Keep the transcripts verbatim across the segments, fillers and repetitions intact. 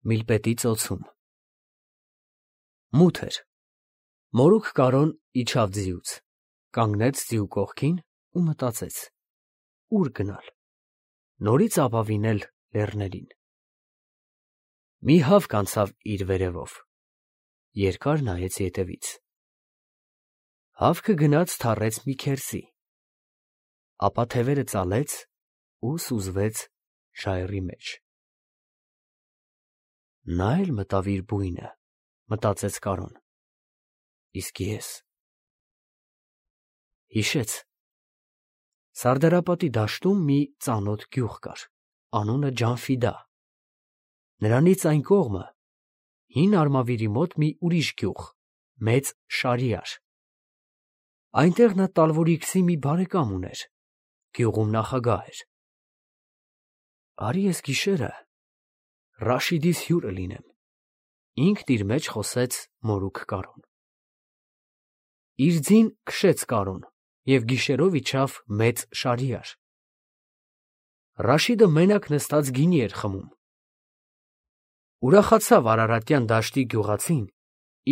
Միլպետի ծոցում։ Մութ էր։ Մորուք Կարոն իջավ ձիուց, կանգնեց ձիու կողքին ու մտածեց. ուր գնալ, նորից ապավինել լեռներին։ Մի հավք անցավ իր վերևով, երկար նայեց ետևից։ Հավքը գնաց թառեց մի քերծի, ապա թևերը ծալեց ու սուզվեց ժայռի մեջ։ Նա էլ մտավ իր բույնը, մտածեց Կարոն, իսկ ես… Հիշեց. Սարդարապատի դաշտում մի ծանոթ գյուղ կար, անունը Ջանֆիդա, նրանից այն կողմը հին Արմավիրի մոտ մի ուրիշ գյուղ, մեծ Շարիար, այնտեղ նա Տալվորիքսի մի բարեկամ ուներ, գյուղում նախագահ էր։ Արի ես գիշերը Ռաշիդիս հյուրը լինեմ, ինքն իր մեջ խոսեց մորուք Կարոն։ Իր ձին քշեց Կարոն և գիշերով իջավ մեծ Շարիար։ Ռաշիդը մենակ նստած գինի էր խմում։ Ուրախացավ Արարատյան դաշտի գյուղացին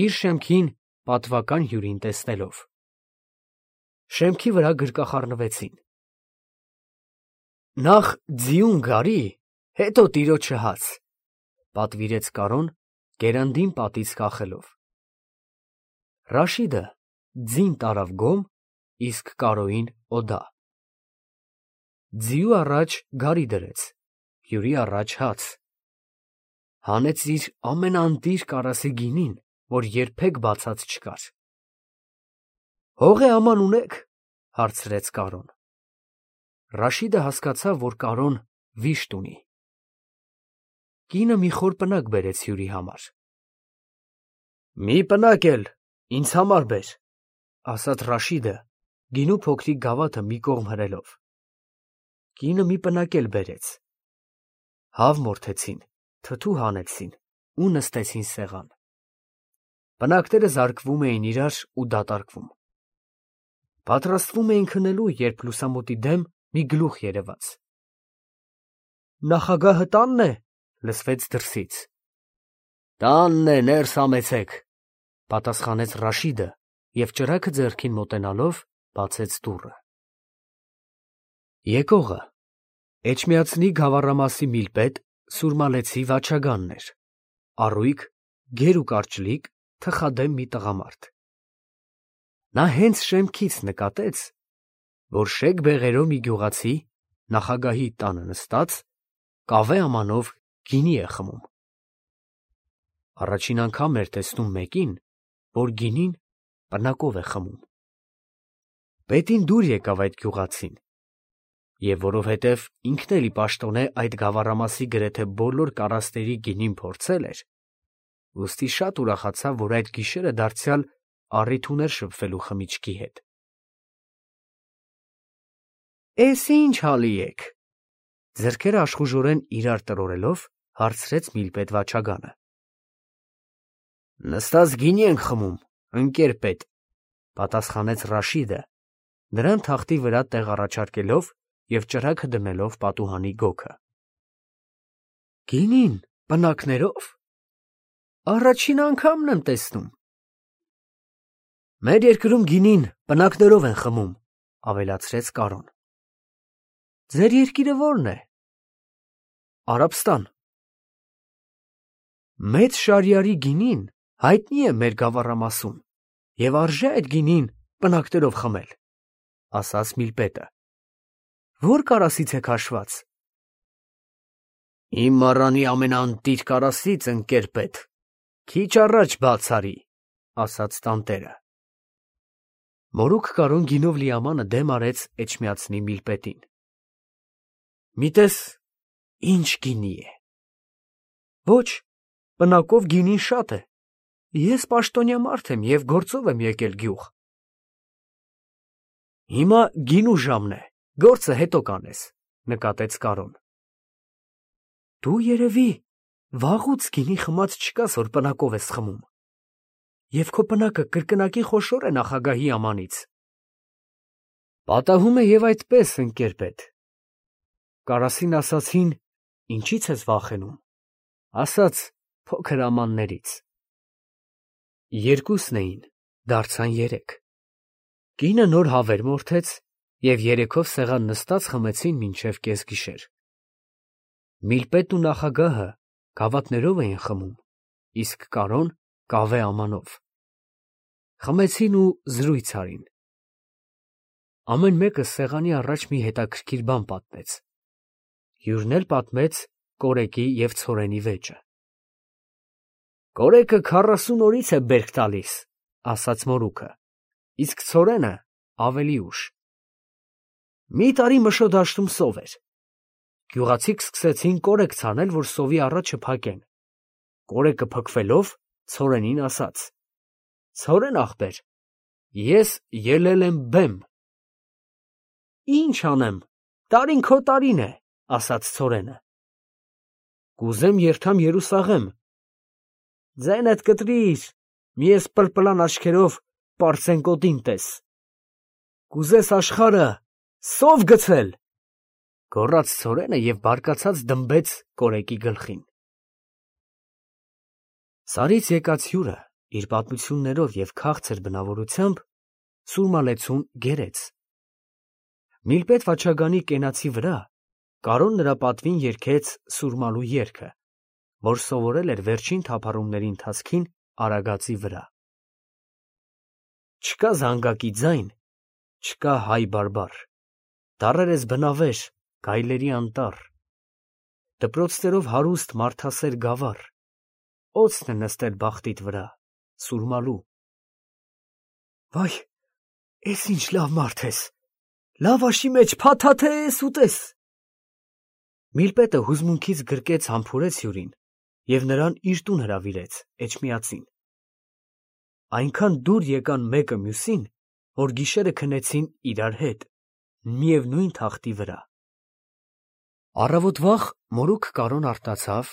իր շեմքին պատվական հյուրին տեսնելով։ Շեմքի վրա գրկախառնվեցին։ Նախ ձիուն գարի, հետո տիրոջը հաց, պատվիրեց Կարոն գերանդին պատից կախելով։ Ռաշիդը ձին տարավ գոմ, իսկ Կարոյին օդա։ Ձիու առաջ գարի դրեց, հյուրի առաջ հաց։ Հանեց իր ամենաընտիր կարասի գինին, որ երբեք բացած չկար։ Հող է աման ունեք, հարցրեց Կարոն։ Ռաշիդը հասկացավ, որ Կարոն վիշտ ունի։ Կինը մի խոր պնակ բերեց հյուրի համար։ Մի պնակ էլ ինձ համար բեր, ասաց Ռաշիդը, գինու փոքրիկ գավաթը մի կողմ հրելով։ Կինը մի պնակ էլ բերեց։ Հավ մորթեցին, թթու հանեցին ու նստեցին սեղան։ Պնակները զարկվում էին իրար ու դատարկվում։ Պատրաստվում էին քնելու, երբ լուսամուտի դեմ մի գլուխ երևաց։ Նախագահը տանն է, լսվեց դրսից։ Տանն է, ներս համեցեք, պատասխանեց Ռաշիդը և ճրագը ձեռքին մոտենալով բացեց դուռը։ Եկողը Էջմիածնի Գավառամասի Միլպետ Սուրմալեցի Վաչագանն էր, առույգ, գեր ու կարճլիկ, թխադեմ մի տղամարդ։ Նա հենց շեմքից նկատեց, որ շեկ բեղերով մի գյուղացի նախագահի տանը նստած կավե ամանով գինի է խմում։ Առաջին անգամ էր տեսնում մեկին, որ գինին պնակով է խմում։ Պետին դուր եկավ այդ գյուղացին, և որովհետև ինքն էլ ի պաշտոնե այդ գավառամասի գրեթե բոլոր կարասների գինին փորձել էր, ուստի շատ ուրախացավ, որ այդ գիշերը դարձյալ առիթ ուներ շփվելու խմիչքի հետ։ Էս ի՞նչ հալի եք, ձեռքերը աշխուժորեն իրար տրորելով, հարցրեց Միլպետ Վաչագանը։ Նստած գինի ենք խմում, ընկեր պետ, պատասխանեց Ռաշիդը, նրան թախտի վրա տեղ առաջարկելով և ճրագը դնելով պատուհանի գոգը։ Գինին պնակներով… Առաջին անգամն եմ տեսնում։ Մեր երկրում գինին պնակներով են խմում, ավելացրեց Կարոն։ Ձեր երկիրը ո՞րն է։ Արաբստան։ Մեծ Շարիարի գինին հայտնի է մեր գավառամասում և արժե այդ գինին պնակներով խմել, ասաց Միլպետը։ Ո՞ր կարասից է քաշված։ Իմ մառանի ամենաընտիր կարասից, ընկեր պետ, քիչ առաջ բաց արի, ասաց տանտերը։ Մորուք Կարոն գինով լի ամանը դեմ արեց Էջմիածնի Միլպետին։ Միտես ինչ գինի է։ Ոչ, պնակով գինին շատ է։ Ես պաշտոնյա մարդ եմ և գործով եմ եկել գյուղ։ Հիմա գինու ժամն է, գործը հետո կանես, նկատեց Կարոն։ Դու երևի վաղուց գինի խմած չկաս, որ պնակով ես խմում։ Եվ քո պնակը կրկնակի խոշոր է նախագահի ամանից։ Պատահում է և այդպես, ընկեր պետ։ Կարասին ասացին, ինչի՞ց ես վախենում։ Ասաց, փոքր ամաններից։ Երկուսն էին, դարձան երեք։ Կինը նոր հավեր մորթեց և երեքով սեղան նստած խմեցին մինչև կեսգիշեր։ Միլպետն ու նախագահը գավաթներով էին խմում, իսկ Կարոն կավե ամանով։ Խմեցին ու զրույց արին։ Ամեն մեկը սեղանի առաջ մի հետաքրքիր բան պատմեց։ Հյուրն էլ պատմեց կորեկի և ցորենի վեճը։ Կորեկը քառասուն օրից է բերք տալիս, ասաց մորուքը, իսկ ցորենը ավելի ուշ։ Մի տարի Մշո դաշտում սով էր։ Գյուղացիք սկսեցին կորեկ ցանել, որ սովի առաջը փակեն։ Կորեկը փքվելով, ցորենին ասաց. Ցորեն ախպեր, ես ելել եմ բեմ։ Ինչ անեմ, տարին քո տարին է, ասաց ցորենը։ Կուզեմ երթամ Երուսաղեմ։ Ձենդ կտրիր, մի ես պլպլան աչքերով պարծեն կոտին տես։ Կուզես աշխարը սով գցել, գոռաց ցորենը և բարկացած դմբեց կորեկի գլխին։ Սարից եկած հյուրը իր պատմություններով և քաղցր բնավորությամբ սուրմալեցուն գերեց։ Միլպետ Վաչագանի կենացի վրա Կարոն նրա պատվին երգեց սուրմալու երգը, որ սովորել էր վերջին թափառումների ընթացքին Արագածի վրա։ Չկա զանգակի ձայն, չկա հայ բարբառ, դառեր ես բնավեժ, գայլերի անտառ, դպրոցներով հարուստ մարդասեր գավառ, օձն է նստել բախտիդ վրա, սուրմալու։ Վայ, էս ինչ լավ մարդ ես, լավաշի մեջ փաթաթ ես ուտես։ Միլպետը հուզմունքից գրկեց համբուրեց հյուրին և նրան իր տուն հրավիրեց Էջմիածին։ Այնքան դուր եկան մեկը մյուսին, որ գիշերը քնեցին իրար հետ, միևնույն թախտի վրա։ Առավոտ վաղ մորուք Կարոն արթնացավ,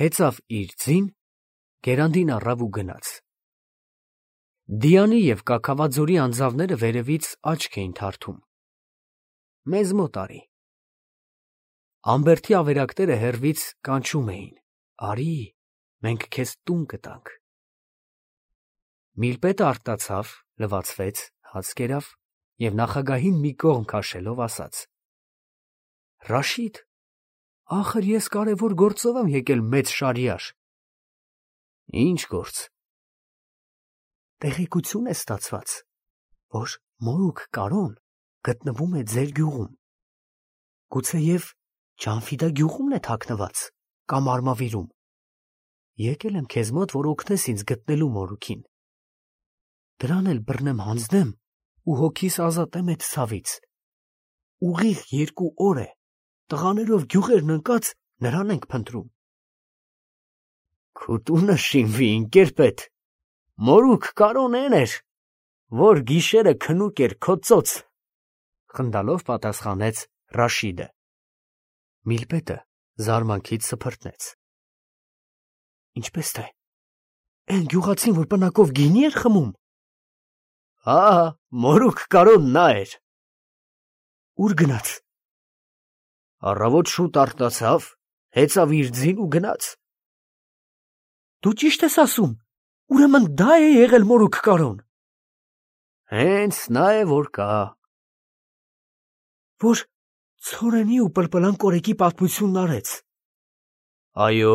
հեծավ իր ձին, գերանդին առավ ու գնաց։ Դիանի և Կաքավաձորի անձավները վերևից աչք էին թարթում։ Մեզ մոտ արի։ Ամբերդի ավերակները հեռվից կանչում էին. արի, մենք քեզ տուն կտանք։ Միլպետը արթնացավ, լվացվեց, հաց կերավ և նախագահին մի կողմ քաշելով ասաց. Ռաշիդ, ախր ես կարևոր գործով եմ եկել մեծ Շարիար։ Ինչ գործ։ Տեղեկություն է ստացված, որ մորուք Կարոն գտնվում է ձեր գյուղում։ Գուցեև Ջանֆիդա գյուղումն է թաքնված կամ Արմավիրում։ Եկել եմ քեզ մոտ, որ օգնես ինձ գտնելու մորուքին։ Դրան էլ բռնեմ հանձնեմ ու հոգիս ազատեմ այդ ցավից։ Ուղիղ երկու օր է, տղաներով գյուղերն ընկած նրան ենք փնտրում։ Քո տունը շինվի, ընկերպետ, մորուք Կարոն էն էր, որ գիշերը քնուկ էր քո ծոց, խնդալով պատասխանեց Ռաշիդը։ Միլպետը զարմանքից սփռտնեց։ Ինչպես թե, այն գյուղացին, որ պնակով գինի էր խմում։ Հա, մորուք Կարոն նա էր։ Ուր գնաց։ Առավոտ շուտ արթնացավ, հեծավ իր ձին ու գնաց։ Դու ճիշտ ես ասում, ուրեմն դա է եղել մորուք Կարոն։ Հենց նա է, որ կա։ Որ ցորենի ու պլպլան կորեկի պատմությունն արեց։ Այո։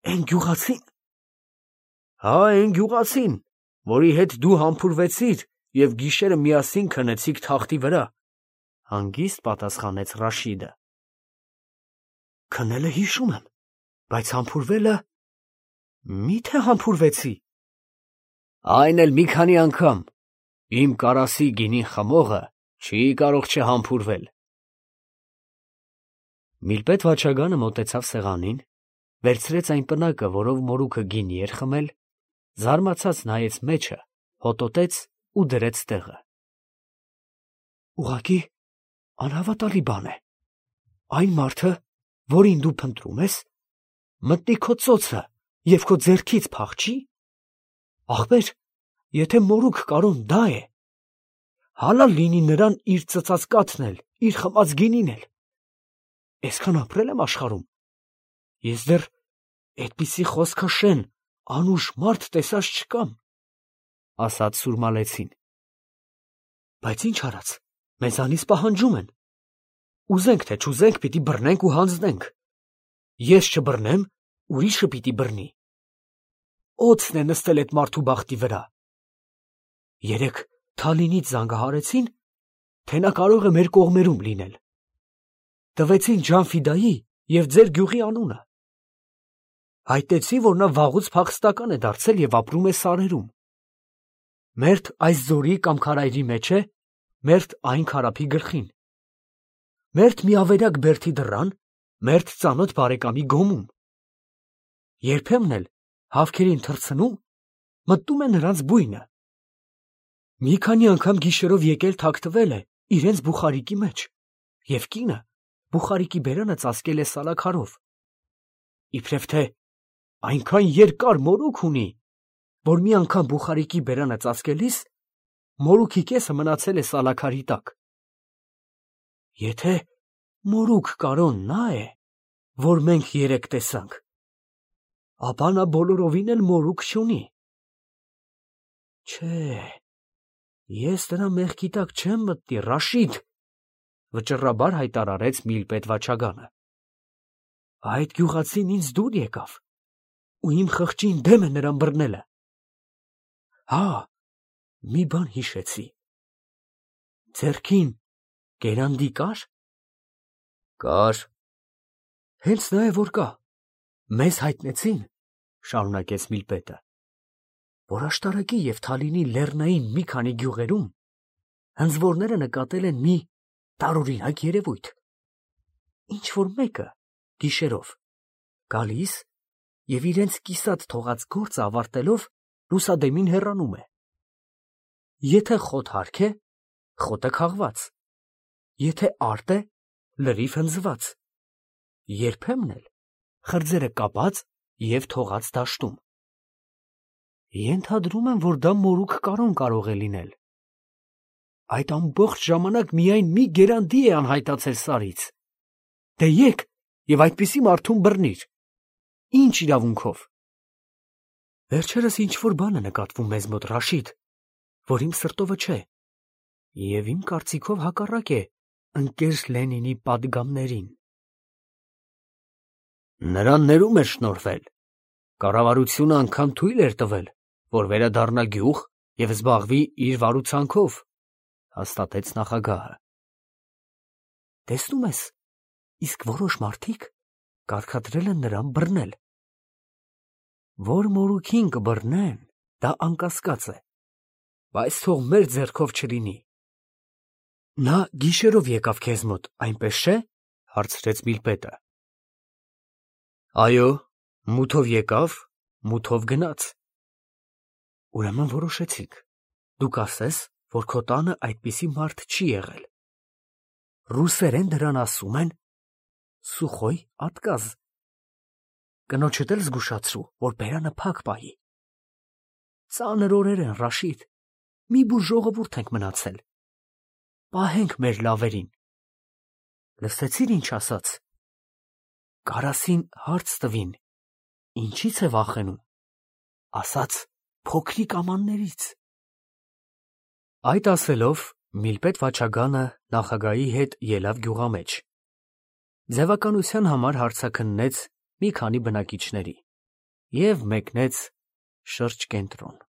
Այն գյուղացին։ Հա, այն գյուղացին, որի հետ դու համբուրվեցիր և գիշերը միասին քնեցիք թախտի վրա, հանգիստ պատասխանեց Ռաշիդը։ Քնելը հիշում եմ, բայց համբուրվելը… Մի՞թե համբուրվեցի։ Այն էլ մի քանի անգամ, իմ կարասի գինին խմողը չի կարող չհամբուրվել։ Միլպետ Վաչագանը մոտեցավ սեղանին, վերցրեց այն պնակը, որով մորուքը գինի էր խմել, զարմացած նայեց մեջը, հոտոտեց ու դրեց տեղը։ Ուղղակի անհավատալի բան է։ Այն մարդը, որին դու փնտրում ես, մտնի քո ծոցը և քո ձեռքից փախչի։ Ախպեր, եթե մորուք Կարոն դա է, հալալ լինի նրան իր ծծած կաթն էլ, իր խմած գինին էլ։ Այսքան ապրել եմ աշխարհում, ես դեռ Էդպիսի խոսքը շեն, անուշ մարդ տեսած չկամ, ասաց սուրմալեցին։ Բայց ինչ արած, մեզանից պահանջում են։ Ուզենք թե չուզենք, պիտի բռնենք ու հանձնենք։ Ես չբռնեմ, ուրիշը պիտի բռնի։ Օձն է նստել այդ մարդու բախտի վրա։ Երեկ Թալինից զանգահարեցին, թե նա կարող է մեր կողմերում լինել։ Տվեցին Ջանֆիդայի և ձեր գյուղի անունը։ Հայտնեցին, որ նա վաղուց փախստական է դարձել և ապրում է սարերում։ Մերթ այս ձորի կամ քարայրի մեջ է, մերթ այն քարափի գլխին։ Մերթ մի ավերակ բերդի դռան, մերթ ծանոթ բարեկամի գոմում։ Երբեմն էլ հավքերին թռցնում, մտնում է նրանց բույնը։ Մի քանի անգամ գիշերով եկել թաքթվել է իրենց բուխարիկի մեջ, և կինը բուխարիկի բերանը ծածկել է սալաքարով։ Իբրև թե այնքան երկար մորուք ունի, որ մի անգամ բուխարիկի բերանը ծածկելիս մորուքի կեսը մնացել է սալաքարի տակ։ Եթե մորուք կարոն նա է, որ մենք երեկ տեսանք, ապա նա բոլորովին էլ մորուք չունի։ Չէ, ես նրա մեղքի տակ չեմ մտնի, Ռաշիդ, վճռաբար հայտարարեց Միլպետ Վաչագանը։ Այդ գյուղացին ինձ դուր եկավ, ու իմ խղճին դեմ է նրան բռնելը։ Հա, մի բան հիշեցի։ Ձեռքին կերանդի կար։ Կար։ Հենց նա է, որ կա։ Մեզ հայտնեցին, շարունակեց Միլպետը, որ աշտարակի և Թալինի լեռնային մի քանի գյուղերում հնձվորները նկատել են մի տարօրինակ երևույթ։ Ինչ որ մեկը գիշերով գալիս և իրենց կիսատ թողած գործը ավարտելով լուսադեմին հեռանում է։ Եթե խոտ հարկ է, խոտը քաղված, եթե արտ է, լրիվ հնձված, երբեմն էլ խրձերը կապած և թողած դաշտում։ Ենթադրում եմ, որ դա մորուք կարոն կարող է լինել։ Այդ ամբողջ ժամանակ միայն մի գերանդի է անհայտացել սարից։ Դե եկ և այդպիսի մարդուն բռնիր։ Ինչ իրավունքով։ Վերջերս ինչ-որ բան է նկատվում մեզ մոտ, Ռաշիդ, որ իմ սրտովը չէ, և իմ կարծիքով հակառակ է ընկեր Լենինի պատգամներին։ Նրան ներում էր շնորհվել։ Կառավարությունը անգամ թույլ էր տվել, որ վերադառնա գյուղ և զբաղվի իր վարուցանքով, հաստատեց նախագահը։ Տեսնում ես, իսկ որոշ մարդիկ կարգադրել են նրան բռնել։ Որ մորուքին կբռնեն, դա անկասկած է, բայց թող մեր ձեռքով չլինի։ Նա գիշերով եկավ քեզ մոտ, այնպես չէ՞, հարցրեց Միլպետը։ Այո, մութով եկավ, մութով գնաց։ Ուրեմն որոշեցիք, դու կասես, որ քո տանը այդպիսի մարդ չի եղել։ Ռուսերեն դրան ասում են սուխոյ ատկազ։ Կնոջդ էլ զգուշացրու, որ բերանը փակ պահի։ Ծանր օրեր են, Ռաշիդ, մի բուր ժողովուրդ ենք մնացել։ Պահենք մեր լավերին։ Լսեցի՞ր ինչ ասաց։ Կարասին հարց տվին, ինչից է վախենում, ասաց փոքրիկ ամաններից։ Այդ ասելով Միլպետ Վաչագանը նախագահի հետ ելավ գյուղամեջ։ Ձևականության համար հարցաքննեց մի քանի բնակիչների և մեկնեց շրջկենտրոն։